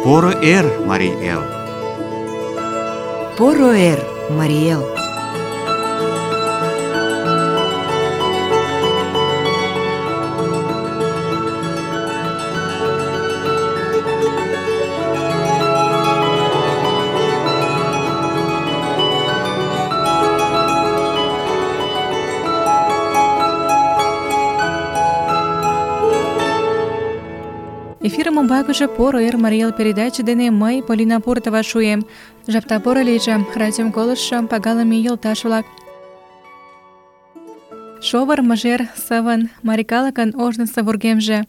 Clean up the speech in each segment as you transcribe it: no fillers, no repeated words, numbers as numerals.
Поро эр, Марий Эл! Поро эр, Марий Эл! Эфирым умбакыже «Поро эр, Марий Эл» передаче дене мый, Полина Пуртова, шуем. Жапта поро лийже, радиом колыштшо пагалыме йолташ-влак. Шовыр, мыжер, сывын, марий калыкын ожнысо вургемже.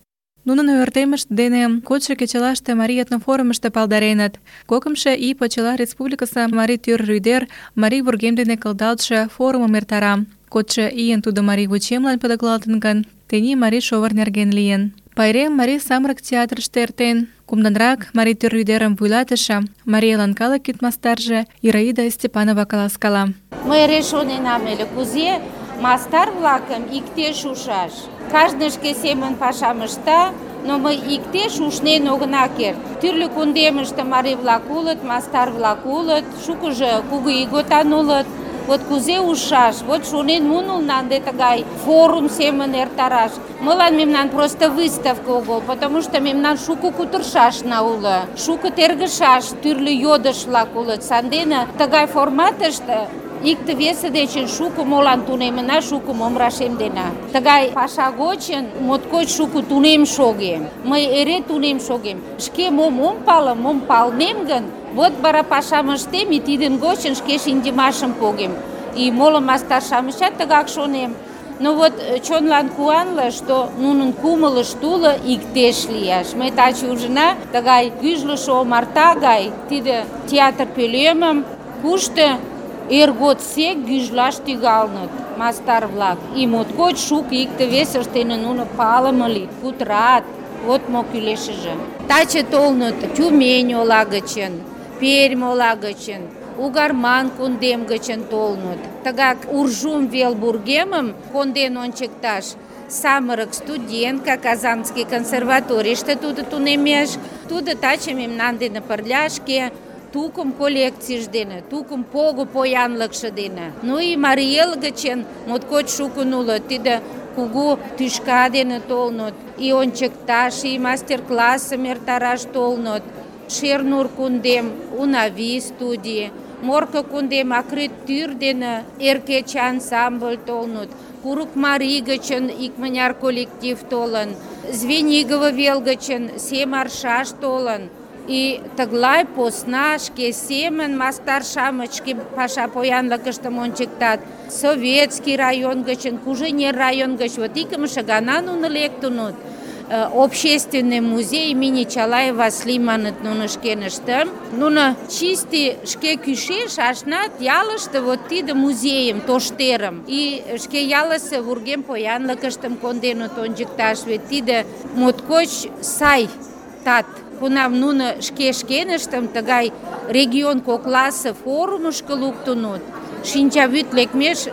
Нунын ойыртемышт дене кодшо кечылаште Марий этнофорумышто палдареныт. Кокымшо ий почела республикысе марий тӱр рӱдер марий вургем дене кылдалтше форумым эртара. Кодшо ийын тудо марий вучемлан пӧлеклалтын гын, тений марий шовыр нерген лийын. Пайрем Марий самырык театрыште эртен. Кумданрак марий тӱр рӱдерым вуйлатыше, Марий Элын калык кид-мастарже Ираида Степанова каласкала. Мый эре шоненам ыле, кузе мастар-влакым иктеш ушаш. Кажне шке семын пашам ышта, но мый иктеш ушнен огына керт. Тӱрлӧ кундемыште марий-влак улыт, мастар-влак улыт, шукыжо кугу ийготан улыт. Вот кузе ушаш, вот шонен мунулна ынде тыгай форум семын эртараш. Мылан мемнан просто выставка огыл, потому что мемнан шуко кутыршашна уло, шуко тергышаш, тӱрлӧ йодыш-влак улыт. Сандене тыгай форматыште икте-весе дечын шуко молан тунемына, шуко мом рашемдена. Тыгай паша гочын моткоч шуко тунем шогем. Мый эре тунем шогем. Шке мом ом пале, мом палнем гын, вот вара пашам ыштем, и тидын гочын шке шинчымашым погем. И моло мастар-шамычат тыгак шонем. Но вот чонлан куанле, что нунын кумылышт уло иктеш лияш. Мый таче ужына тыгай гӱжлышӧ омарта гай тиде театр пӧлемым, кушто эр годсек гӱжлаш тӱҥалыныт мастар-влак. И моткоч шуко икте-весышт дене нуно палыме лийыт, кутырат. Вот мо кӱлешыже. Таче толыныт Тюмень ола гычын, Пермь ола гычын, Угарман кундем гычын толыныт. Тыгак Уржум вел вургемым конден ончыкташ самырык студентка Казанский консерваторийыште тудо тунемеш. Тудо таче мемнан дене пырля шке тукым коллекцийж дене, тукым пого поянлыкше дене. Ну и Марий Эл гычын моткоч шукын улыт. Тиде кугу тӱшка дене толыныт. И ончыкташ, и мастер-классым эртараш толыныт. Шернур кундем, Унави студий, Морко кундем акрит тӱр дене эр кече ансамбль толыныт. Курыкмарий гычын икмыняр коллектив толын, Звенигово вел гычын Сем аршаш толын. И тыглай посна шке семын мастар-шамыч шке паша поянлыкыштым ончыктат. Советский район гычын, Куженер район гыч вот икымше гана нуно лектыныт. Общественный музей имени Чалай Васлий маныт нуно шкеныштым. Нуно чисти шке кӱшеш ашнат ялыште вот тиде музейым, тоштерым. И шке ялысе вургем поянлыкыштым конденыт ончыкташ, вет тиде моткоч сай тат. Кунам нуно шке шкеныштым тыгай регион кокласе форумышко луктыныт, шинчавӱд лекмеш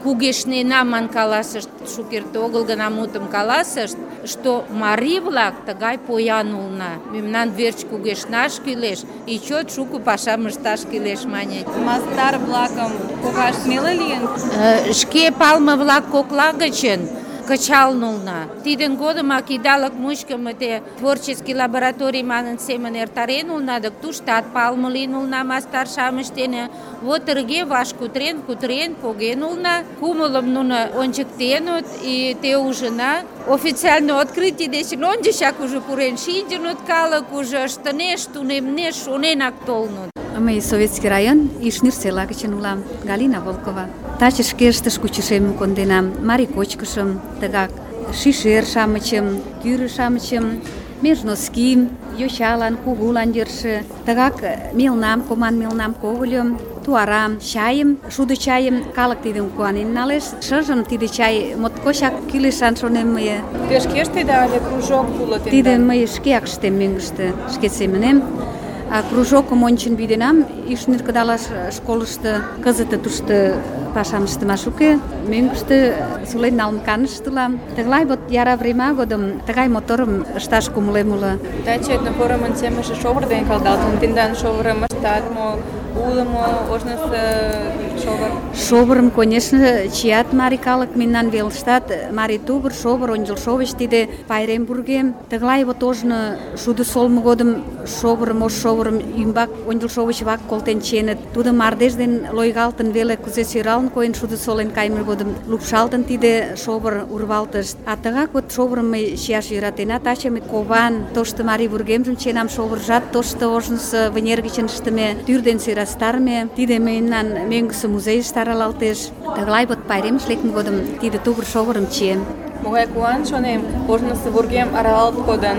кугешнена ман каласышт, шукерте огыл гына мутым каласышт, что марий-влак тыгай поян улына. Мемнан верч кугешнаш кӱлеш, и чот шуко пашам ышташ кӱлеш маньыч. Мастар-влакым погаш неле лийын? Шке палме-влак кокла гычын кычалын улына. Тидын годымак идалык мучко те творческий лабораторий манын семын эртарен улына, дык туштат палме лийын улына мастар-шамыч дене. Вот тырге ваш кутырен, поген улына. Кумылым нуно ончыктеныт, и те ужына. Официально открытий дечын ончычак уже пурен шинчыныт, калык уже ыштынеш, тунемнеш, шоненак толыныт. Мый Советский район Ишнир села гычын улам, Галина Волкова. Таче шке ыштыш кучышемым конденам, марий кочкышым, тыгак шишер-шамычым, кӱрӧ-шамычым, межноским, йочалан, кугулан йӧршӧ, тыгак мелнам, коман мелнам, когыльым, туарам, чайым, шудо чайым, калык тидым куанен налеш. Шыжым тиде чай моткочак кӱлешан шонем мые. Те шке ыштеда але кружок уло тендан? Тиде мый шкеак ыштем мӧҥгыштӧ, шке семынем. Кружокым ончын вӱденам, Ишнер кыдалаш школышто кызыт тушто пашам ыштымаш уке, мӧҥгыштӧ сулен налын канышт улам. Тыглай вот яра врема годым тыгай моторым ышташ кумылем уло. Таче этнофорумын темыже шовыр дене калдалтын. Тендан шовырым ыштат мо, уло мо ожнысо шовыр? Шовырым, конечно, чият марий калык мемнан велыштат. Марий тувыр, шовыр, ончылшовыч тиде пайрем вургем. Тыглай вот ожно шудо солмо годым шовырым, ош шовырым ӱмбак ончылшовыч вак колтен чиеныт. Тудо мардеж ден лойгалтын веле кузе сӧралын койын шудо солен кайме годым лупшалтын тиде шовыр урвалтышт. А тыгак вот шовырым мый чияш йӧратена. Таче мый кован тошто марий вургемжым чиенам, шовыржат тошто ожнысо вынер гычын ыштыме, тӱр ден сӧрастарыме. Тиде мемнан мӧҥгысӧ музейыште аралалтеш. Тыглай вот пайремыш лекме годым тиде тувыр шовырым чием. Могай куан, шонем, ожнысо вургем аралалт кодын.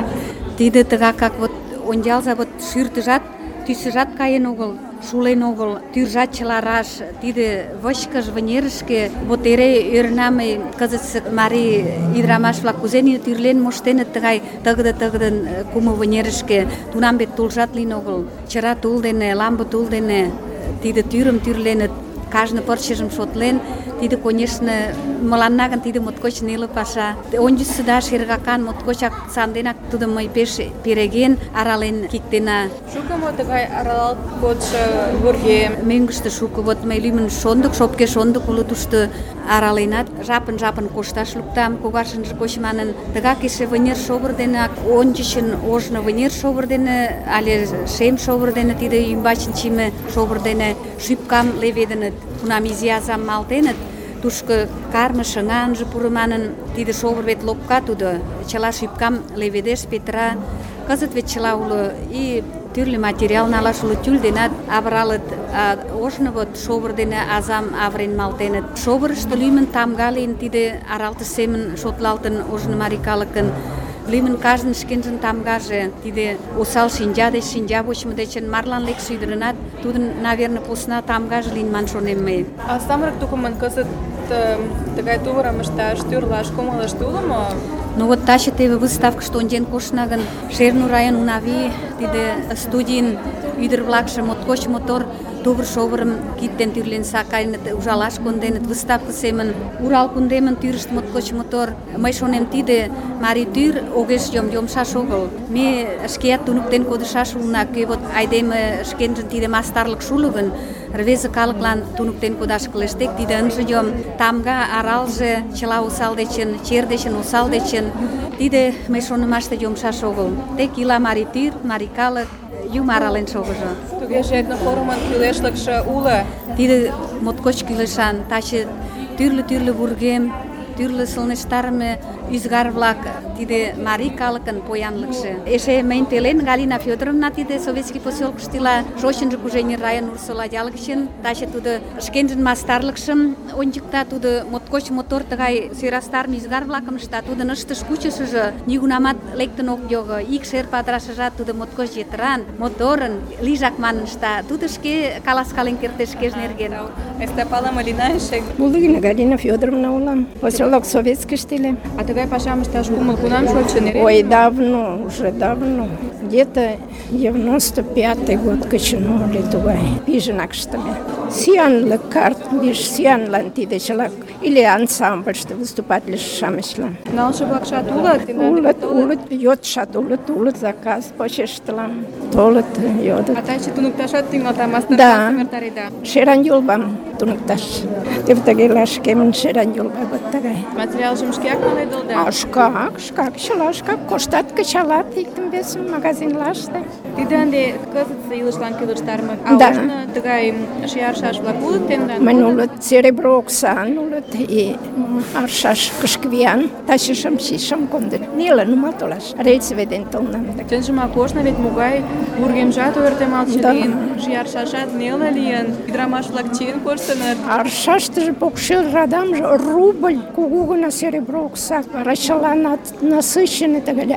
Тиде тыгакак вот ончалза, вот шӱртыжат, тӱсыжат каен огыл, шулен огыл, тӱржат чыла раш. Тиде вычкыж вынерышке вот эре ӧрынам мый кызытсе марий ӱдырамаш-влак кузе тӱрлен моштеныт тыгай тыгыде-тыгыдын кумо вынерышке. Тунам вет тулжат лийын огыл. Чыра тул дене, лампе тул дене тиде тӱрым тӱрленыт, кажне пырчыжым шотлен. Тиде, конечно, мыланна гын тиде моткоч неле паша. Ончычсо да шергакан моткочак санденак тудым мый пеш переген, арален киктена. Шуко мо тыгай аралалт кодшо вургем? Мӧҥгыштӧ шуко. Вот мый лӱмын шондык, шопке шондык уло тушто араленат. Жапын-жапын кошташ луктам, когашынже коч манын. Тыгак эше вынер шовыр денак, ончычын ожно вынер шовыр дене але шем шовыр дене, тиде ӱмбачын чийыме шовыр дене шӱпкам леведыныт. Тунам изи азам малтеныт, тушко карме шыҥа ынже пуро манын, тиде шовыр вет лопка тудо, чыла шӱпкам леведеш, петыра. Кызыт вет чыла уло, и тӱрлӧ материал налаш уло, тюль денат авыралыт, а ожно вот шовыр дене азам авырен малтеныт. Шовырышто лӱмын тамга лийын, тиде аралтыш семын шотлалтын ожно марий калыкын. Лӱмын кажнын шкенжын тамгаже, тиде осал шинча деч, шинча вочмо дечын марлан лекше ӱдырынат тудын, наверное, посна тамгаже лийын ман шонем мый. А самырык тукымын кызыт тыгай тувырым ышташ, тӱрлаш кумылышт уло мо? Ну вот таче теве выставкышто ончен коштна гын, Шернур район Унави тиде студийын ӱдыр-влакше моткоч мотор тувыр шовырым кид ден тӱрлен сакаеныт, ужалаш конденыт, выставка семын. Урал кундемын тӱрышт моткоч мотор. Мый шонем, тиде марий тӱр огеш йомшаш огыл. Ме шкеат туныктен кодышаш улына, кӧ вот айдеме шкенжын тиде мастарлык шуло гын, рвезе калыклан туныктен кодаш кӱлеш. Тек тиде ынже йом. Тамга, аралже чыла осал дечын, чер дечын, осал дечын. Тиде мый шонымаште йомшаш огыл. Тек ила марий тӱр, марий калык, Юмо арален шогыжо. Тугеже этнофорумын кӱлешлыкшӧ уло. Тиде моткоч кӱлешан. Таче тӱрлӧ вургем, тӱрлӧ сылнештарыме ӱзгар-влак, тиде марий калыкын поянлыкше. Эше мыйын пелен Галина Фёдоровна тиде Советский поселкышто ила, шочынжо Кужеҥер район Урсола ял гычын. Таче тудо шкенжын мастарлыкшым ончыкта, тудо моткоч мотор тыгай сӧрастарыме ӱзгар-влакым ышта. Тудын ыштыш кучышыжо нигунамат лектын ок його. Ик шер падырашыжат тудо моткоч йытыран, моторын, лийжак манын ышта. Тудо шке каласкален кертеш шкеж нерген. Айста палыме лийна эше. Булыгина Галина Фёдоровна улам. Поселок Советский стиле. А тыгай пашам ышташ кумыл кунам шочын? Ой, давно, уже давно. Где-то 95-й год кычыну ыле тугай. Пижынак ыштыме. Сӱанлык карт биш сӱанлан тиде чыла. Или ансамбльыште выступательше-шамычлан. Налше-влакшат улыт? Улыт, йодшат улыт, заказ почештылам. Толыт, йодыт. А таче туныкташат тӱҥалда, мастер-классым Да, эртареда? Шеран Юлбам туныкташ. Тевтагела шкемын Шеран Юлба вот тыгай. Материалжым шкеак паледылда? А шкак, чыла шкак коштат, кычалат иктым-весым магазинлаште. Тиде ынде кызытсе илышлан кӱлештарыме. А Да. ожно тыгай шияршаш-влак улыт тендан? Мынь улыт серебро оксан улыт и аршаш кышквиян. Таче шым кондыт. Неле нумал толаш. Рельсовый ден толнам. Чынжымак ожно вет могай вургемжат ойыртемалтше Да. лийын, шияршашат неле лийын, ӱдырамаш-влак чиен коштыныт. Аршаштыже покшел радамже рубль, кугу гына серебро окса. Вара чыланат насыщенный тыгай.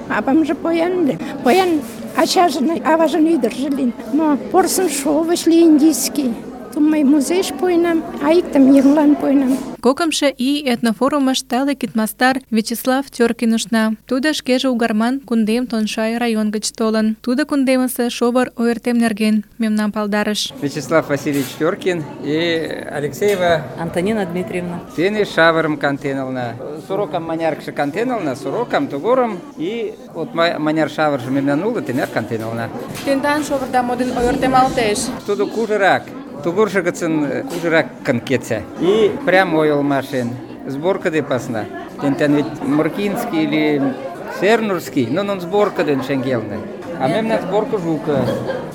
Авамже поян ачажын, аважын ӱдыржӧ лийын. Но порсын шовыч ли индийский. Иктым мый музейыш пуэнам, а иктым еҥлан пуэнам. Кокымшо ий этнофорумыш тале кидмастар Вячеслав Тёркин ушна. Тудо шкеже Угарман кундем Тоншай район гыч толын. Тудо кундемысе шовыр ойыртем нерген мемнам палдарыш. Вячеслав Васильевич Тёркин и Алексеева Антонина Дмитриевна. Тене шавырым кантенална. Сорокам маняркше кантенална, сорокам тугорым и от маняр шавырже мемнан уло, тенер кантенална. Тендан шовырда модын ойыртемалтеш. Тудо кужырак. Тугуршы гыцын кужырак кетсе. И прямо ойылмашен. Сборка де пасна. Тентен ведь Муркинский или Сернурский, но он сборка ден шенгелны. А мемнан сборка жука.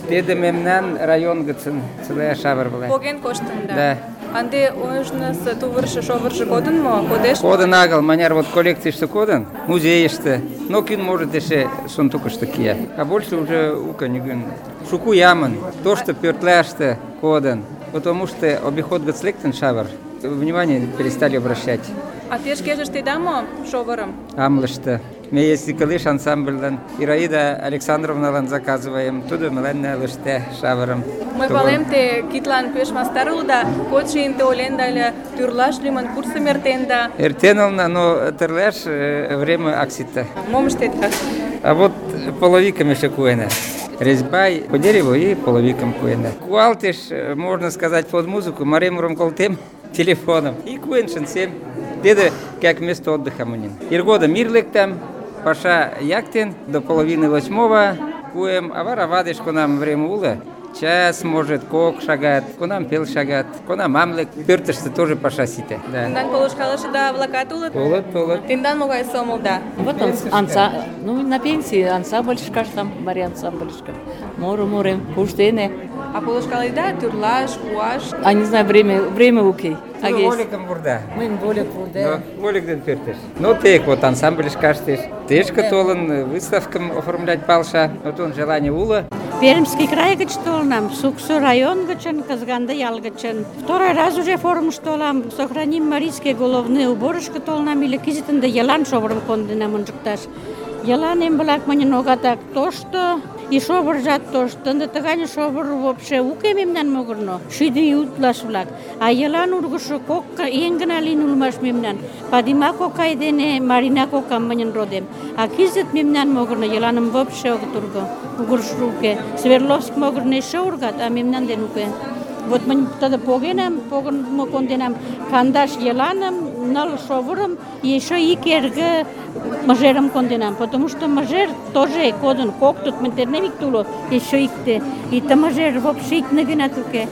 Теде мемнан район гыцын целая шавыр была. Поген коштын, Да. Анде ойышныс тувыршы шовыршы кодын мо? Кодеш? Кодын агыл, маняр вот коллекцийшты кодын, музейшты. Но кин может еще сундукышты кия. А больше уже ука не гын. Шуку ямын, то, что пёртляшты кодын. Потому что обиход гыцлектен шавыр. Внимание перестали обращать. А те шкеже штеда мо шовырым? Амлышты. Мы если калыш ансамбльдан Ираида Александровналан заказываем, туда мыленне лыште шавырым. Мый палем, те китлан пеш мастар улыда, кодшо инте оленда ыле, тӱрлаш лӱмын курсым эртенда. Эртенална, но тырлаш время аксита. Мом ыштеда? А вот половиком еще куэна. Резьба по дереву и половиком куэна. Куалтиш, можно сказать, под музыку, маремуром колтем телефоном. И куэншин 7. Деда как место отдыха мунин. Иргода мирлектам, паша яктен до 7:30 куем, а варавадиш нам время ула. Час, может, кок шагат, конам пел шагат, конам мамлек, пёртышты тоже паша сите. Да. Тендан полушкалышы да влакат улыт? Улыт. Тендан могай сомылда? Вот он, на пенсии ансамбльшка, там Мария ансамбльшка. Морем, куштене. А полушкалыда тӱрлаш, куаш? А не знаю, время укей. Воликом бурда. Мы более курда. Волик ден пёртыш. Ну, тек вот ансамбль каштыш. Тешка толын, выставкам оформлять палша. Вот он желание ула. Пермский край гыч толынам, Суксу район гычын, Казганды ял гычын. Второй раз уже форумыш толам, сохраним марийские головные уборышко толынам, или кизитынды Елан шовырым кондынам ончыкташ. Елан эмбылак мыньын огатак тошто, и шовыржат тошто. Ынде тыгане шовыр вообще уке мемнан могырно, шӱдӧ ий утлаш-влак. А Елан ургышо кок еҥ гына лийын улмаш мемнан. Падима кокай дене Марина кокам мыньын родем. А кизыт мемнан могырно Еланым вообще огыт урго. Угырышо уке. Свердловск могырно эше ургат, а мемнан ден уке. Вот мынь тыды погынмо конденам, кандаш Еланым, 9 шовырым, и еще ик эрге мыжерым конденам, потому что мыжер тоже кодын, коктут, ментернем ик туло, еще икте. И та мыжер вообще икне гынат уке.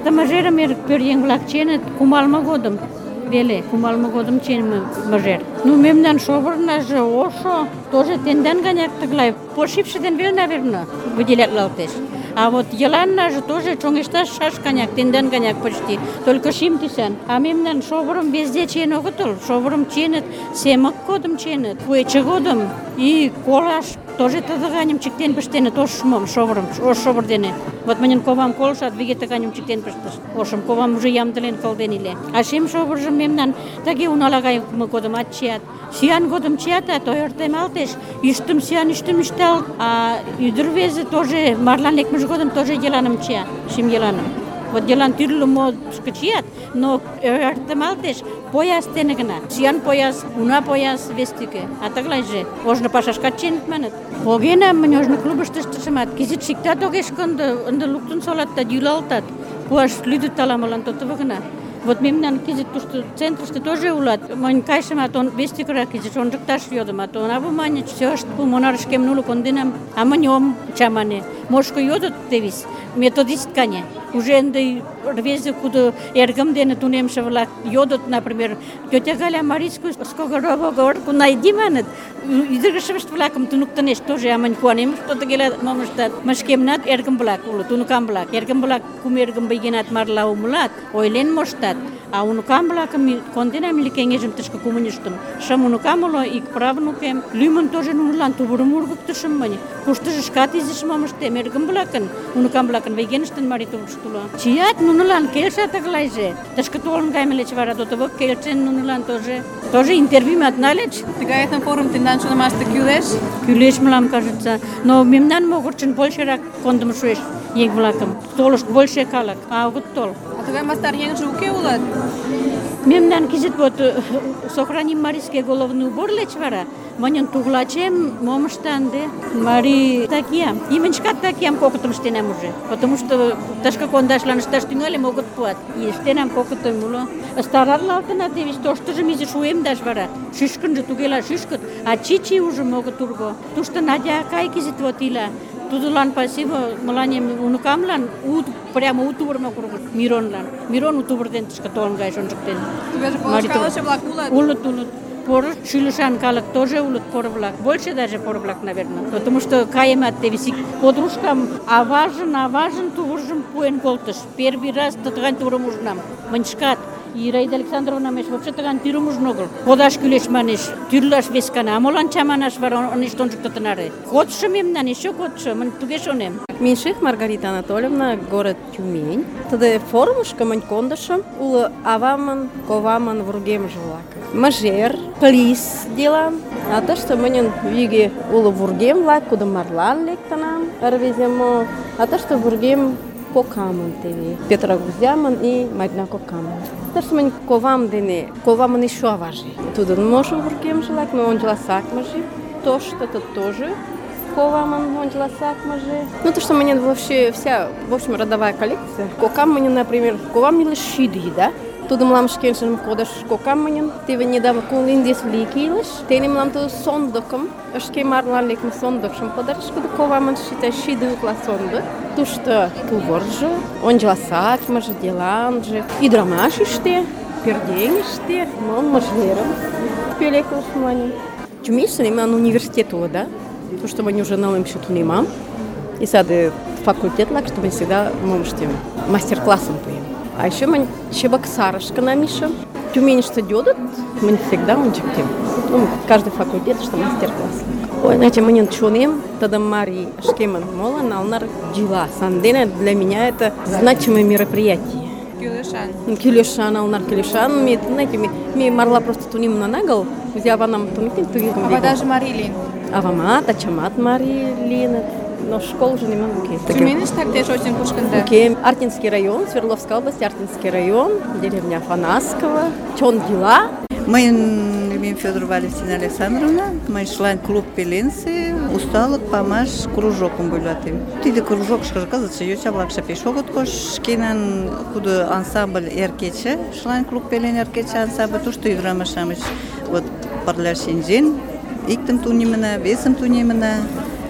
Та мыжерым пӧръеҥ-влак ченыт кумалме годым. Веле, кумалме годым ченыме мыжер. Ну, мемнан шовырнаже ошо, тоже тендан ганяк тыглай, пошибше ден вел, наверное, выделятлалтеш. А вот Еланнаже тоже чоҥешташ шашканяк, тендан ганяк почти, только шим тӱсан. А мемнан шовырым везде чиен огытыл, шовырым чиеныт, семык годым чиеныт, куэче годым и колаш тоже тыгайым чиктен пыштеныт ошмом шовырым, ош шовыр дене. Вот мыньын ковам колышат, виге тыгайым чиктен пыштышт. Ошым ковам уже ямдылен кылден иле. А шем шовыржым мемнан тыге унала гайыме годымат чият. Сӱан годым чиятат, ойыртемалтеш, ӱштым сӱан ӱштым ӱшталыт, а ӱдыр-рвезе тоже марлан лекмыж годым тоже Еланым чия, шим Еланым. Вот Елан тӱрлӧ модышко чият, но ойыртемалтеш пояс дене гына. Сӱан пояс, уна пояс вес тӱкӧ. А тыглайже ожно пашашкат чиеныт маныт. Погенам мынь ожно клубышто ыштышымат, кызыт шиктат огеш кондо, ынде луктын солат да йӱлалтат. Пуаш лӱдыт ала-молан тотыво гына. Вот мемнан кизит тушто центрыште тоже улат. Мынь кайышымат, он вес тӱкырак кизит ончыкташ йодымат. Онаву маньыч, всёшт пулмонарышкем нуло конденам, а мынь ом чамане. Мошко йодыт тевис, методисткане. Уже ынде рвезе кудо эргым дене тунемше-влак йодыт, например, тётя Галя марийскую сковородку говорку найди маныт. Ӱдырышышт-влакым туныктынешт тоже, а мынь куанем, что тыгела мом ыштат. Мый шкемнат эргым-влак улыт, уныкам-влак. Эргым-влак кум эргым байгенат марла умылат, ойлен моштат. А уныкам-влакым конденам или кеҥежым тышке кумыньыштым. Шым уныкам уло, ик правнукем. Лӱмын тоже нунылан тувырым ургыктышым мынь. Куштыжо шкат изиш мом ыштем. Эргым-влакын, уныкам-влакын вейгеныштын марий тувырышт уло. Чият нунылан келша тыглайже. Тышке толын кайыме деч вара дотывак келшен нунылан тоже. Тоже интервьюмат нальыч. Тыгай этнофорум тендан шонымаште кӱлеш? Кӱлеш, мылам кажется. Но мемнан могырчын большерак кондымо шуэш. еҥ-влакым. Толышт больше калык, а огыт тол. А тугай мастар еҥже уке улат? Мемнан кызыт вот сохраним марийский головной убор леч вара. Мыньын туглачем мом ышта ынде? Марий такиям. Имыньышкат такиям кокытым ыштенам уже. Потому что тышке кондашлан ышташ тӱҥальым, огыт пуат. И ыштенам кокытым уло. Старатлалтына теве тоштыжым изиш уэмдаш вара. Шӱшкынжӧ тугела шӱшкыт, а чичи ужым огыт урго. Тушто Надя акай кызыт вот ила. Тудылан пасиво мыланем унукамлан прямо у тувырмак ургыш Миронлан. Мирон у тувыр ден тышке толын кайыш ончыктен. Тугеже полышкалыше-влак улат? Улыт. Поро шӱлышан калык тоже улыт поро-влак. Больше даже поро-влак, наверное. Потому что каемат теве подружкам аважын тувыржым пуэн колтыш. Первый раз тыган тувырым ужынам. Мынь шкат. Ираида Александровна меш вообще тыган тӱрым ужын огыл. Кодаш кӱлеш манеш, тӱрлаш вескана. А молан чаманаш вара ынешт ончыкто тынаре? Кодшо мемнан, еще кодшо, мынь туге шонем. Меньших Маргарита Анатольевна, город Тюмень. Тыде форумышко мынь кондышым. Уло авамын, ковамын вургемже-влак. Мыжер, плис делам. А тыште мыньын виге уло вургем-влак, кудым марлан лектынам, рвеземо. А тыште вургем кокамын теве. Петра Гузямын и Марина кокамын. Тыште мынь ковамын еще аваже. Тудын можо вургемже-влак, но ончыла сакмыже. Тошто это тоже ковамын ончыла сакмыже. Ну то, что мне вообще вся, в общем, родовая коллекция. Кокам мне, например, ковам милы шиди, да? Тудо мылам шкенжым кодыш кокам мыньын. Теве недавно кулиндес влики илыш. Тене мылам тудо сондыкым, шке марлан лекме сондыкшым подарыш, кудо ковамын шиди утла сондык. Тушто тувыржо, ончыла сакмыже, деланже, ӱдырамашыште, пӧръеҥыште, мыжерым пӧлеклыш мыланем. Тюменьыште мемнан университет уло, да? Тушто мынь уже нылымше тунемам. И саде факультет-влак, что мынь всегда мом ыштем, мастер-классым пуэм. А еще мынь Чебоксарышко намишым. Тюменьыште йодыт, мынь всегда ончыктем. Каждый факультет, что мастер-класс. Ой, знаете, мыньын чонем, тыдым марий шкемын моло налнар дела. Сандене для меня это значимое мероприятие. Кӱлешан, алнар кӱлешан. Знаете, ме марла просто тунемын агыл. Узи аванам туниктен тугизм. Авадаже марий лийын. Авамат, ачамат марий лийыныт. Но школжо нимом уке. Тюменьыштак те шочын кушкында? Уке. Артинский район, Свердловская область, Артинский район, деревня Афанасково. Чон дела. Мыйын лӱмем Федор Валентина Александровна, мый член клуб пеленсе, усталык, памаш, кружокым вуйлатем. Тиде кружокышкыжо кызытше йоча-влакше пеш огыт кош. Шкенан кудо ансамбль «Эр кече», член клуб пелен «Эр кече» ансамбль, тушто ӱдырамаш-шамыч вот пырля шинчен, иктым тунемына, весым тунемына.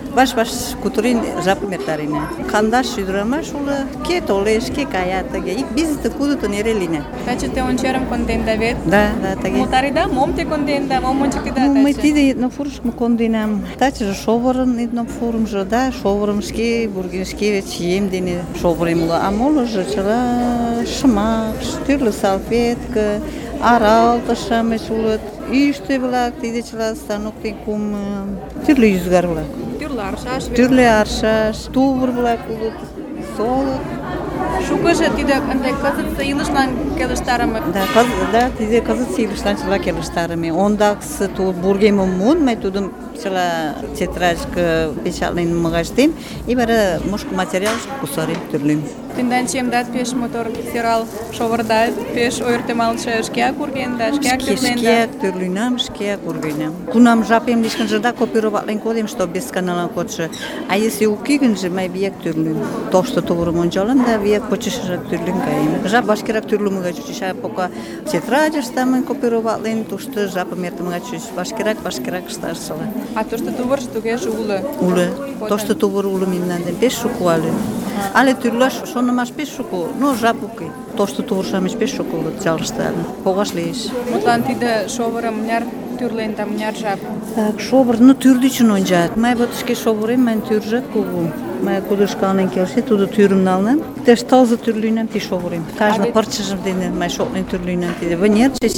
Ваш-ваш кутырен жапым эртарена. Кандаш ӱдырамаш уло, кӧ толеш, кӧ кая тыге. Ик бизыте кудытын эре лийна. Таче те ончерым конденда вет? Да, тыге. Мотарида, мом те конденда, мом ончыктеда таче? Мый тиде этнофорумышко конденам. Тачыже шовырын этнофорумжо, да, шовырым шке вурген, шке чием дене шовырем уло. А молыжо чыла шымак, тӱрлӧ салфетка, аралтыш-шамыч улыт, ӱштӧ-влак, тиде чыла станок ден кумо, тӱрлӧ ӱзгар-влак. Тӱрлӧ аршаш, тувыр-влак улыт, солык. Шукыжо тиде ынде кызытсе илышлан келыштарыме. Да, тиде кызытсе илышлан чыла келыштарыме. Ондаксе тул вургемым муын, мый тудым чыла тетрадька печатлен мыгаштем, и вара мушко материалышке кусарем тӱрлем. Тендан чиемдат пеш мотор сӧрал шовырда, пеш ойыртемалтше, шкеак ургенда, шкеак тӱрленда. Шкеак тӱрленам, шкеак ургенам. Кунам жапем лишкынже да копироватлен кодем, что без каналан кодшо. А если уке гынже, мый вияк тӱрлем. Тошто тувырым ончалам да вияк почешыжак тӱрлен каем. Жап вашкерак тӱрлымыга чучеш, а пока тетрадьыште мый копироватлен, тушто жапым эртымыга чучеш. Вашкерак ышташыла. А тошто тувыржо тугеже уло? Уло. Тошто тувыр уло мемнан ден пеш шуко але. Але тӱрлаш шонымаш пеш шуко, но жап уке. Тошто тувыр-шамыч пеш шуко улыт ялыште але. Погаш лиеш. Мутлан тиде шовырым мыняр тӱрленда, мыняр жап? Так, шовыр, тӱр-дечын ончат. Мый вот шке шовырем, мыйын тӱржат кугу. Мый кудо шкалнен келше, тудо тӱрым налнам. Иктаж тылзе тӱр лӱйнам ти шовырем. Кажне пырчыжым дене мый шотлен тӱр лӱйнам. Тиде вынерже,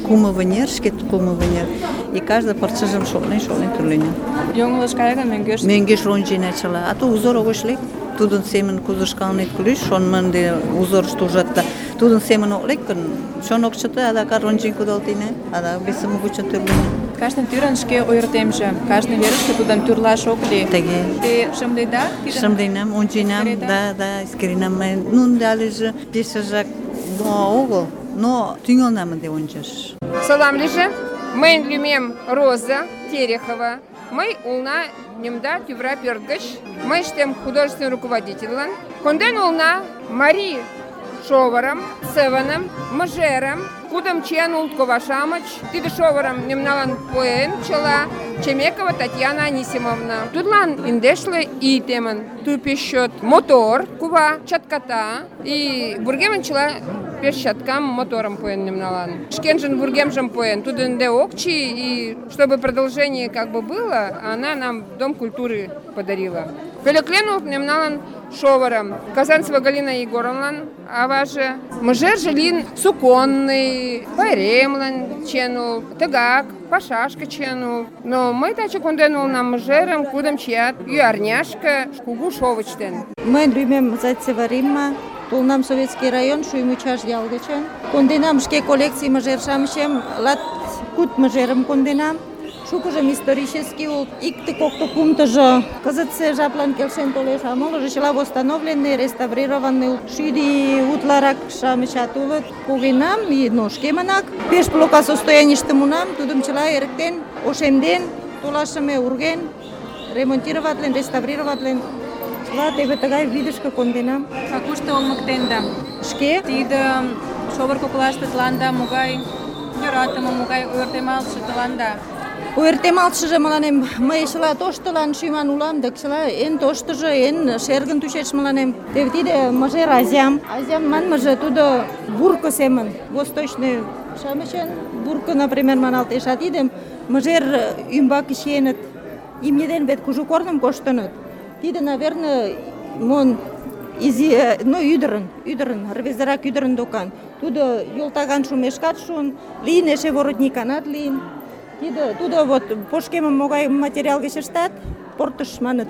кумо вынер, шкет кумо вынер. И кажне пырчыжым шотлен тӱр лӱйнам. Йоҥылыш кая гын, мӧҥгеш? Мӧҥгеш рончена чыла. А то узор огеш лек. Тудын семын кудо шкалнет кӱлеш, шоныман дене узорышто ужат да тудын семын ок лек гын, чон ок чыте, адакат рончен кудалтена, адак весым вучен тӱрлена. Кажне тӱрын шке ойыртемже, кажне верыште тудым тӱрлаш ок лий. Тыге. Те шымледа? Шымленам, онченам, да, эскеренам мый. Нунын алеже пешыжак огыл, но тӱҥалнам ынде ончаш. Салам лийже. Мыйын лӱмем Роза Терехова. Мый улна Немда тӱвра пӧрт гыч. Мый ыштем художественный руководительлан. Конден улна марий шовырым, сывыным, мыжерым, кудым чиен улыт кова-шамыч. Тиде шовырым мемналан пуэн чыла Чемекова Татьяна Анисимовна. Тудлан индешле ий темын. Ту пеш чот мотор кува, чатката и вургемын чыла пеш чаткам моторым пуэн мемналан. Шкенжын вургемжым пуэн. Тудо ынде ок чий, и чтобы продолжение как бы было, она нам Дом культуры подарила. Пӧлеклен улыт мемналан шовырым. Казанцева Галина Егоровналан аваже. Мыжерже лийын суконный, пайремлан чиен улыт, тыгак, пашашке чиен улыт. Но мый таче конден улынам мыжерым, кудым чият ӱярняшке кугу шовыч ден. Мыйын лӱмем Зайцева Римма. Толынам Советский район, Шуймучаш ял гычын. Конденам шке коллекций мыжер-шамычем, лат куд мыжерым конденам. Шукыжым исторический улыт, икте-кокто кумтыжо кызытсе жаплан келшен толеш, а молыжо чыла восстановленный, реставрированный улыт. Шӱдӧ утларак-шамычат улыт. Погенам, и шкемынак пеш плохо состоянийыште муынам, тудым чыла эрыктен, ошемден, толашыме урген, ремонтироватлен, реставрироватлен. Чыла теве тыгай видышке конденам. А кушто олмыктенда? Шке? Тиде шовыр коклаште тыланда могай йӧратыме, могай ойыртемалтше тыланда? Ойыртемалтшыже мыланем мый чыла тоштылан шӱман улам, да чыла эн тоштыжо, эн шергын тӱчеш мыланем. Теве тиде мыжер азям. Азям манмыже тудо бурко семын, восточный шамычын бурко, например, маналтеш. А тидым мыжер ӱмбаке чиеныт. Имне ден вет кужу корным коштыныт. Тиде, наверное, мон изи, ӱдырын, рвезырак ӱдырын докан. Тудо йолтаган шумешкат шуын, лийын эше воротниканат лийын. Тудо вот пошкемым могай материал гыч ыштат, портыш маныт.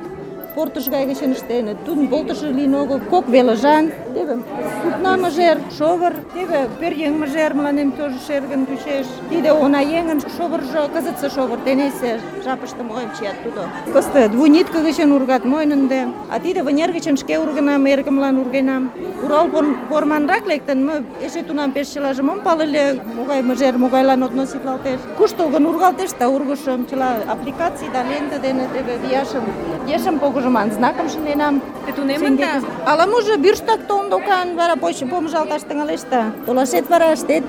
Портыш гай гычын ыштеныт. Тудын полтышо лийын огыл, кок велыжан. Теве сукна мыжер, шовыр, теве пӧръеҥ мыжер мыланем тоже шергын тӱчеш. Тиде онаеҥын шовыржо, кызытсе шовыр, тенийсе жапыште могайым чият тудо. Кызыт двунитка гычын ургат мойн ынде. А тиде вынер гычын шке ургенам, эргымлан ургенам. Урал форманрак лектын, мый эше тунам пеш чылажым ом пале ыле, могай мыжер, могайлан относитлалтеш. Куштылгын ургалтеш да ургышым, чыла аппликаций да лента дене теве вияшым, ешым погыжыман знакым шынденам. Те тунемында? Ала-можо бюрштак толын докан, вара помыжалташ тӱҥалеш да толашет вара ыштет.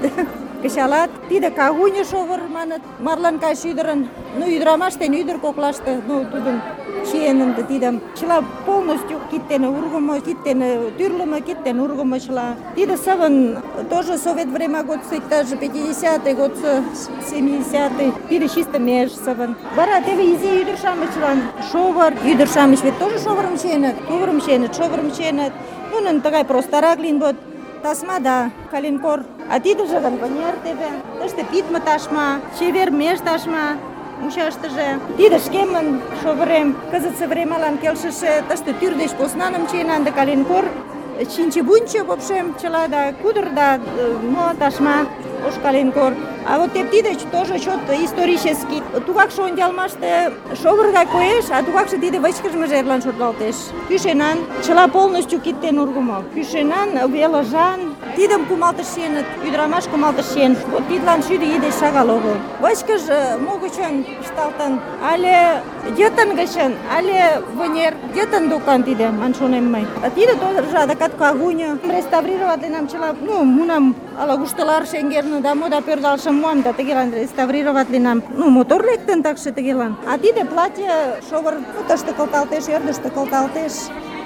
Кычалат. Тиде кагуня шовыр маныт, марлан кайше ӱдырын. Ӱдырамаш ден ӱдыр коклаште, тудын чиен ынде тидым. Чыла полностью кид дене ургымо, кид дене тӱрлымӧ, кид дене ургымо чыла. Тиде сывын тоже совет время годсо, иктаж 50-й годсо, 70-й. Тиде чисто меж сывын. Вара теве изи ӱдыр-шамычлан шовыр. Ӱдыр-шамыч вет тоже шовырым чиеныт, шовырым чиеныт. Нунын тыгай простарак лийын вот. Тасма да калинкор. А тидыже гын вынер теве. Тыште пидме ташма, чевер меж ташма. Мучаштыже. Тиде шкемын шовырем. Кызытсе времалан келшыше. Тыште тӱр деч поснаным чиенам да калинкор. Чинчи-бунчи, в общем, чыла да кудыр да ташма. Ош калинкор. А вот тиде тоже чот исторический. Тугакше ончалмаште шовыр гай коеш, а тугакше тиде вычкыж мыжерлан шотлалтеш. Кӱшенан чыла полностью кид дене ургымо. Кӱшенан, велыжан. Тидым кумалтыш чиеныт, ӱдырамаш кумалтыш чиен. Вот тидлан 100 ий деч шагал огыл. Вычкыж могычын ышталтын, але йытын гычын, але вынер йытын докан тиде, ман шонем мый. А тиде тоже адакат кагуня. Реставрироватленам чыла, мунам ала-куштылар шеҥгелне да мода пӧрдалшым муам да тыгелан реставрироватленам. Мотор лектын такше тыгелан. А тиде платье шовыр тыште кылталтеш, ӧрдыжтӧ кылталтеш,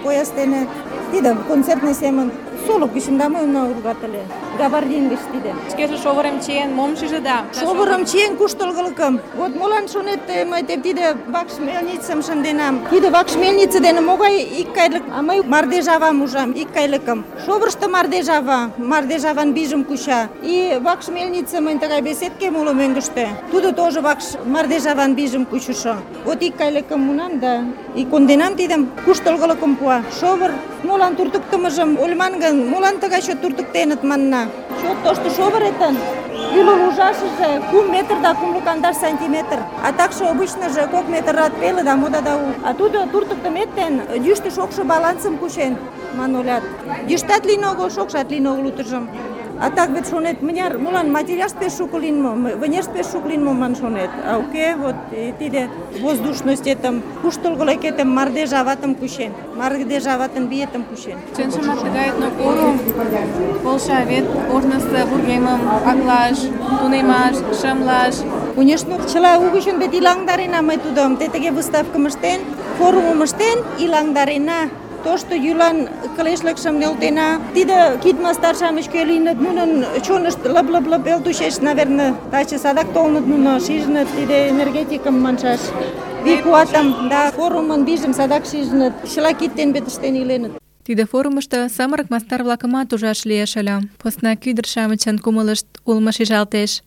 пояс дене. Тиде концертный семын солык гычын да мый ургат ыле. Габардин гыч тиде. Шкеже шовырым чиен, мом шижыда? Шовырым чиен куштылгылыкым. Вот молан шонет, мый тиде вакш мельницым шынденам. Тиде вакш мельнице дене могай икгайлык, а мый мардежавам ужам, икгайлыкым. Шовырышто мардежаван бийжым куча. И вакш мельнице мыйын тыгай беседкем уло мӧҥгыштӧ. Тудо тоже вакш мардежаван бийжым кучышо. Вот икгайлыкым муынам да и конденам тидым, куштылгылыкым пуа. Шовыр молан туртыктымыжым ойлыман гын, молан тыгай чот туртыктеныт манна. чот тошто шовыретын ӱлыл ужашыже 2 метр да 250 сантиметр. А также обычныже 2 метрат пеле да мода да у. А тудо туртыктымет ден йӱштӧ шокшо балансым кучен, манолят. Йӱштат лийын огыл, шокшат лийын огыл утыжым. А так вет шонет, мыняр, молан материалышт пеш шуко лийын мо, вынешт пеш шуко лийын мо ман шонет. А уке, вот тиде воздушностетым, куштылгылыкетым, мардеж аватым кучен, мардеж аватын биетым кучен. Чынжымак тыгай этнокурум полша вет ожнысо вургемым аклаш, тунемаш, шымлаш. Конечно, чыла угычын вет илаҥдарена мый тудым, те тыге выставкым ыштен, форумым ыштен, илаҥдарена. Тошто йӱлан кылешлыкшым нӧлтена. Тиде кид мастар-шамыч кӧ лийыныт, нунын чонышт лып-лып-лып элтушеш, наверное, таче садак толыныт нуно, шижыныт тиде энергетикым маншаш. Вий-куатым, да, форумын вийжым садак шижыныт, чыла кид дене вет ыштен иленыт. Тиде форумышто самырык мастар-влакымат ужаш лиеш ыле. Поснак ӱдыр-шамычын кумылышт улмо шижалтеш.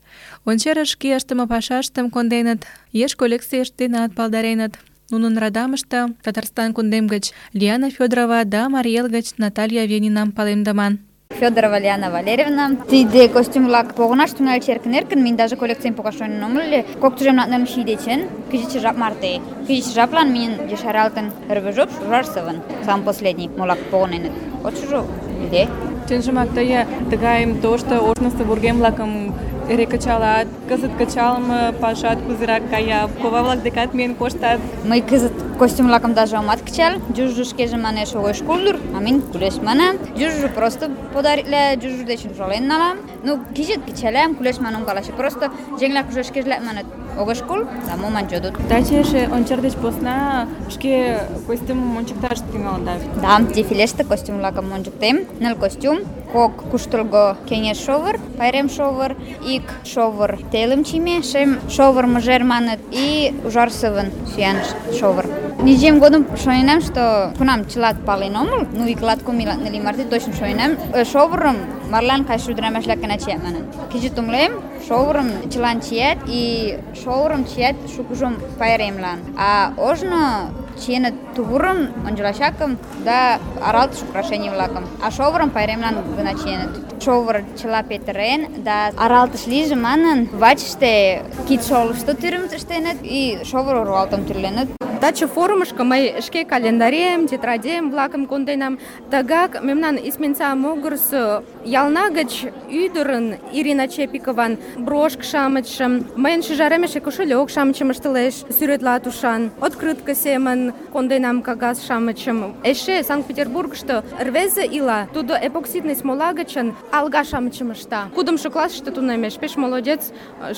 Ончерыш шке ыштыме пашаштым конденыт, еш коллекцийышт денат палдареныт. Нунын радамыште Татарстан кундем гыч Лиана Федорова да Марий Эл гыч Наталья Венинам палемдыман. Федорова Лиана Валерьевна. Тиде костюм-влак погынаш тӱҥальыч эркын-эркын, минь даже коллекцийым погаш шонен омыл ыле. Кок тӱжем ший дечын кызытсе жап марте. Кызытсе жаплан минь ешаралтын рвежоп Ужарсовын, самый последний, молак погыненыт. Отшыжо лиде. Чынжымак тые тыгайым тошто ожнысо вургем-влакым эре кычалат, кызыт кычалме пашат кузерак кая, кова-влак декат миен коштат. Мый кызыт костюм-влакым даже омат кычал. Южыжо шкеже манеш огеш кул дыр, а минь кулеш манам. Южыжо просто подаритла, южыжо дечын шолен налам. Ну, кызыт кычалам, кулеш манам каласе. Просто жеңлак уже шкежлак манат огеш кул, да моман жодут. Таче эше ончер деч посна шке костюмым ончыкташ тӱҥалыда. Да, дефилеште костюм-влакым ончыктем. 9 костюм, кок куштылго кеҥеж шовыр, пайрем шовыр, ик шовыр телым чийме, шем шовыр мыжер маныт, и Ужарсовын сӱан шовыр. Низем годым шоненам, что кунам чылат пален омыл, ну ик латкум илатнели марте точно шоненам, шовырым марлан кайше ӱдырамаш-влак гына чият манын. Кызыт умылем, шовырым чылан чият, и шовырым чият шукыжым пайремлан. А ожно чиеныт тувырым, ончылачакым да аралтыш украшений-влакым, а шовырым пайремлан гына чиеныт. Шовыр чыла петырен да аралтыш лийже манын, вачыште кидшолышто тӱрым ыштеныт и шовыр руалтым тӱрленыт. Таче форумышко мый шке календарем, тетрадем-влакым конденам. Тыгак мемнан Исменса могырысо ялна гыч ӱдырын Ирина Чепикован брошк-шамычшым, мыйын шӱжарем эше кошелёк-шамычым ыштылеш, сӱретла тушан, открытка семын конденам кагаз-шамычым. Эше Санкт-Петербургышто рвезе ила, тудо эпоксидный смола гычын алга-шамычым ышта. Кудымшо классыште тунемеш, пеш молодец,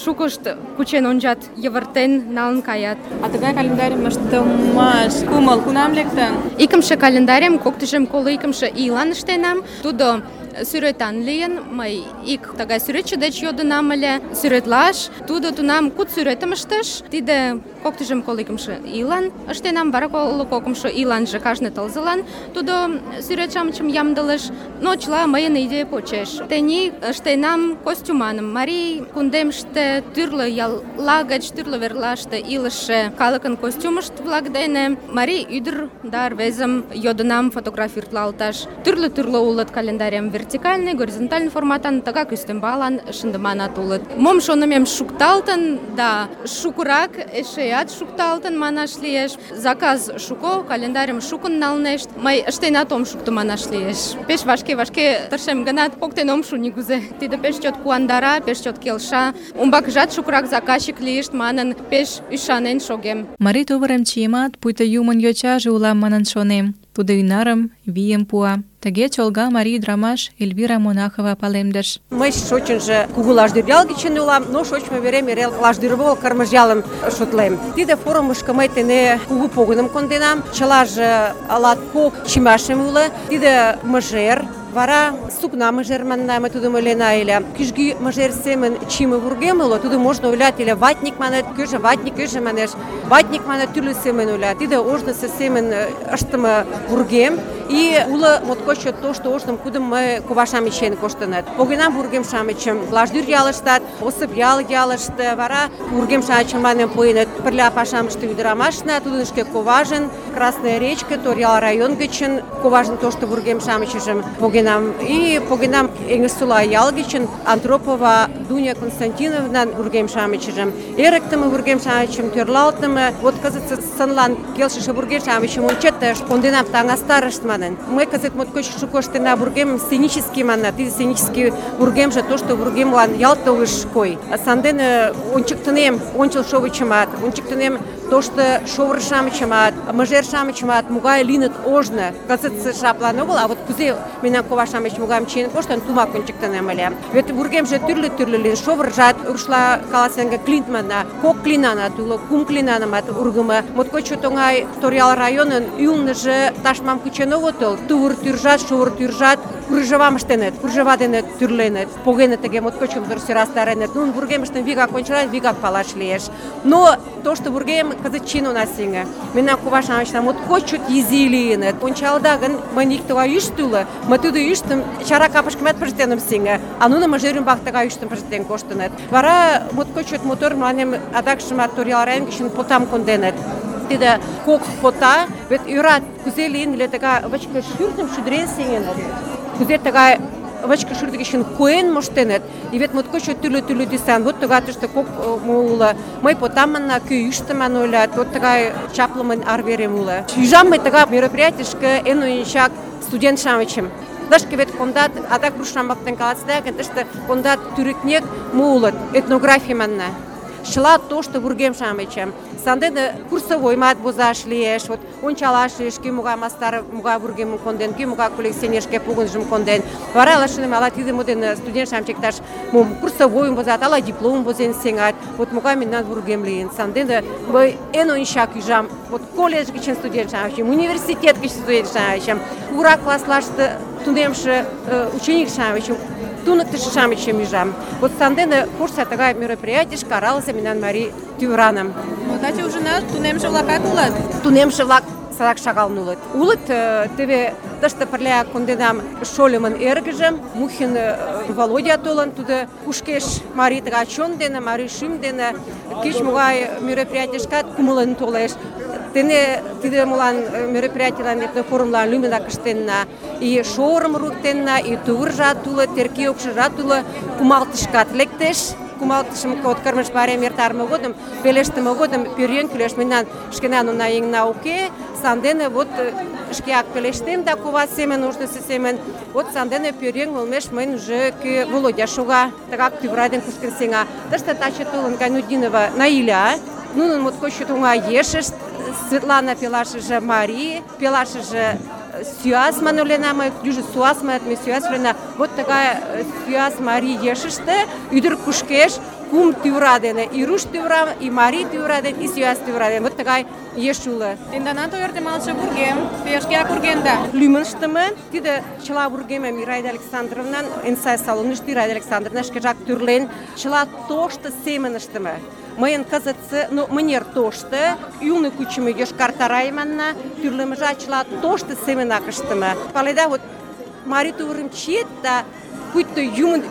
шукышт кучен ончат, йывыртен налын каят. А тыгай календарьым ыштымаш кумыл кунам лектын? Икымше календарем 2022 ийлан ыштенам. Тудо сӱретан лийын, мый ик тыгай сӱретче деч йодынам ыле сӱретлаш. Тудо тунам куд сӱретым ыштыш. Тиде 2022 ийлан ыштенам, вара 22 ийланже кажне тылзылан тудо сӱрет-шамычым ямдылыш. Но чыла мыйын идея почеш. Тений ыштенам костюманым. Марий кундемыште тӱрлӧ ялла гыч тӱрлӧ верлаште илыше калыкын костюмышт-влак дене марий ӱдыр да рвезым йодынам фотографироватлалташ. Тӱрлӧ улыт календарем, вертикальный, горизонтальный форматан, тыгак ӱстембалан шындыманат улыт. Мом шонымем шукталтын, да шукырак эшеат шукталтын манаш лиеш. Заказ шуко, календарьым шукын налнешт. Мый ыштенат ом шукто манаш лиеш. Пеш вашке тыршем гынат, поктен ом шу нигузе. Тиде пеш чот куандара, пеш чот келша. Умбакыжат шукырак заказчик лийышт манын, пеш ӱшанен шогем. Марий тувырем чиемат, пуйто юмын йочаже улам манын шонем. Тудо ӱнарым, вийым пуа. Тыге чолга марий ӱдырамаш Эльвира Монахова палемдыш. Мый шочынжо кугу Лашдӱр ял гычын улам, но шочмо верем эре Лашдӱр огыл, Кырмыж-ялым шотлем. Тиде форумышко мый тене кугу погыным конденам. Чылаже латкок чимашем уло. Тиде мыжер, вара сукна мыжер манна, мый тудым ойлена ыле. Кӱжгӱ мыжер семын чийыме вургем уло, тудым можна ойлат ыле ватник манет, кӧжӧ ватник, кӧжӧ манеш. Ватник манет тӱрлӧ семын ойла. Тиде ожнысо семын ыштыме вургем. И уло моткоч чот тошто ожным, кудым мый кува-шамыч чиен коштыныт. Погенам вургем-шамычым Лаждӱр ялыштат, Осып ялыште, вара вургем-шамычым мыланем пуэныт пырля пашам ыштыме ӱдырамашна, тудын шке коважын, Красная речка, Торъял район гычын коважын тошто вургем-шамычыжым погенам. И погенам Эҥерсола ял гычын Антропова Дуня Константиновнан вургем-шамычыжым, эрыктыме вургем-шамычым, тӧрлалтыме, вот кызытсе сынлан келшыше вургем-шамычым ончет, конденам таҥастарышт манын. Мый кызыт моткоч шуко ыштена вургемым сценический манна. Тиде сценический вургемже тошто вургемлан ялт огеш кой. Сандене ончыктынем ончылшовычымат, ончыктынем тошто шовыр-шамычымат, мыжер-шамычымат, могай лийыныт ожно. Кызытсе жаплан огыл, а вот кузе мемнан кова-шамыч могайым чиен коштын, тумак ончыктынем ыле. Вет вургемже тӱрлӧ-тӱрлӧ лийын. Шовыржат, рушла каласен гын, клинт манна, кок клинанат уло, кум клинанымат ургымо. Моткоч чот оҥай Торъял районын ӱлныжӧ ташмам кучен огытыл. Тувыр тӱржат, шовыр тӱржат кружевам ыштеныт, кружева дене тӱрленыт, погеныт тыге моткоч мотор сӧрастареныт. Нунын вургемыштым вигак ончалат, вигак палаш лиеш. Но тошто вургем кызыт чин она сеҥе. Мемнан кува-шамычна моткоч чот изи лийыныт. Ончалда гын, мыйын ик тыгай ӱштӧ уло, мый тудо ӱштым чара капышкымат пыштен ом сеҥе, а нуно мыжер ӱмбак тыгай ӱштым пыштен коштыныт. Вара моткоч чот мотор мыланем адакшымат Торъял район гычын потам конденыт. Тиде кок пота, вет ӧрат, кузе лийын ыле тыгай вычке шӱртым шӱдырен сеҥеныт, кузе тыгай вычке шӱртӧ гычын куэн моштеныт. И вет моткоч тӱрлӧ тӱсан. Вот тыгай тыште кок уло. Мый потам манна, кӧ ӱштыман ойлат, вот тыгай чаплымын арверем уло. Ӱжам мый тыгай мероприятийышке эн ончак студент-шамычым. Тышке вет кондат, адак руш-шамак воктен каласыда гын, тыште кондат тӱрыкнек мо улыт, этнографий манна. Чыла тошто вургем-шамычым. Сандене курсовоймат возаш лиеш, вот ончалаш лиеш, кӧ могай мастар, могай вургемым конден, кӧ могай коллекционер шке погынжым конден. Вара ала шонем, ала тиде дене студент-шамыч иктаж мом курсовойым возат, ала дипломым возен сеҥат. Вот могай мемнан вургем лийын. Сандене мый эн ончак ӱжам, вот колледж гычын студент-шамычым, университет гыч студент-шамычым, кугурак класслаште тунемше ученик-шамычым, туныктышо-шамычым ӱжам. Вот сандене курса тыгай мероприятийышке аралысе мемнан марий тӱвраным. Таче ужынат, тунемше-влакат улыт? Тунемше-влак садак шагал улыт. Улыт, теве тыште пырля конденам шольымын эргыжым, Мухин Володя толын, тудо кушкеш марий тыгай чон дене, марий шӱм дене, кеч-могай мероприятийышкат кумылын толеш. Тене тиде молан мероприятийлан, этнофорумлан лӱмынак ыштенна. И шовырым руктенна, и тувыржат уло, терке укшыжат уло, кумалтышкат лектеш. Кумалтышым от кырмыж пайрем эртарыме годым, пелештыме годым пӧръеҥ кӱлеш. Мемнан шкенан уна еҥна уке, сандене вот шкеак пелештем да кува семын, ожнысо семын. Вот сандене пӧръеҥ олмеш мыйын уже кӧ Володя шога, тыгак тӱвра ден кушкын сеҥа. Тыште таче толын Гайнутдинова Наиля, нунын моткоч чот оҥай ешышт, Светлана пелашыже Марий, пелашыже Сюас манолена, мый южо Суас маят, ме Сюас лена. Вот тыгай Сюас Марий ешыште ӱдыр кушкеш кум тӱвра дене, и руш тӱвра, и Марий тӱвра дене, и Сюас тӱвра дене. Вот тыгай еш уло. Тенданат ойыртемалтше вургем, те шкеак ургенда? Лӱмын ыштыме. Тиде чыла вургемем Ираида Александровнан эн сай салонышто Ираида Александровна шкежак тӱрлен, чыла тошто семын ыштыме. Мыйын кызытсе, мынер тошто, ӱлнӧ кучымо йошкар тарай манна, тӱрлымыжат чыла тошто семынак ыштыме. Паледа, вот марий тувырым чиет да пуйто юмын,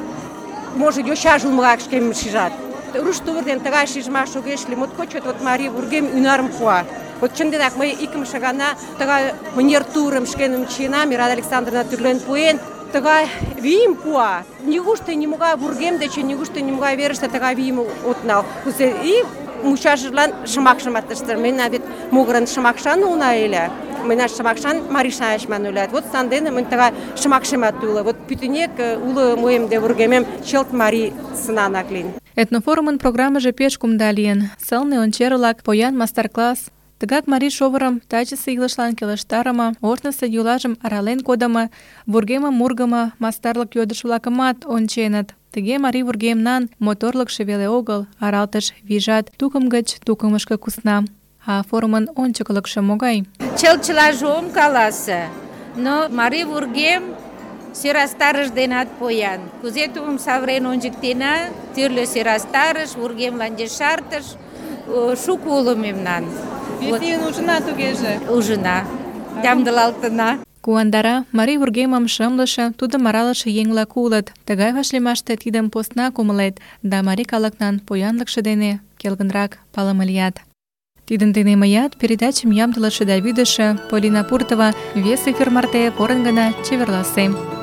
может, йочаже улмыгак шкемым шижат. Руш тувыр дене тыгай шижмаш огеш лий, моткоч чот вот марий вургем ӱнарым пуа. Вот чынденак мый икымше гана тыгай мынер тувырым шкеным чиенам, Ираида Александровна тӱрлен пуэн, тыгай вийым пуа. Нигушто нимогай вургем деч, нигушто нимогай верыште тыгай вийым от нал. И мучашыжлан шымакшымат ыштыш. Мемнан вет могырын шымакшан улна ыле. Мемнан шымакшан марий-шамыч ман ойлат. Вот сандене мынь тыгай шымакшемат уло. Вот пӱтынек уло моем де вургемем чылт марий сынанак лийын. Этнофорумын программыже пеш кумда лийын. Сылне ончер-влак, поян мастер-класс. Тыгак марий шовырым тачысе илышлан келыштарыме, ожнысо йӱлажым арален кодымо, вургемым ургымо мастарлык йодыш-влакымат онченыт. Тыге марий вургемнан моторлыкшо веле огыл, аралтыш вийжат тукым гыч тукымышко кусна. А форумын ончыклыкшо могай? Чылаже ом каласе, но марий вургем сӧрастарыш денат поян. Кузе тудым савырен ончыктена, тӱрлӧ сӧрастарыш, вургемлан ешартыш, шуко уло мемнан. Вес ийын ужына тугеже? Ужына, ямдылалтына. Куандара марий вургемым шымлыше, тудым аралыше еҥ-влак улыт. Тыгай вашлиймаште тидым поснак умылет, да марий калыкнан поянлыкше дене келгынрак палыме лият. Тидын дене мыят передачым ямдылыше да вӱдышӧ Полина Пуртова вес эфир марте порын гына чеверласем.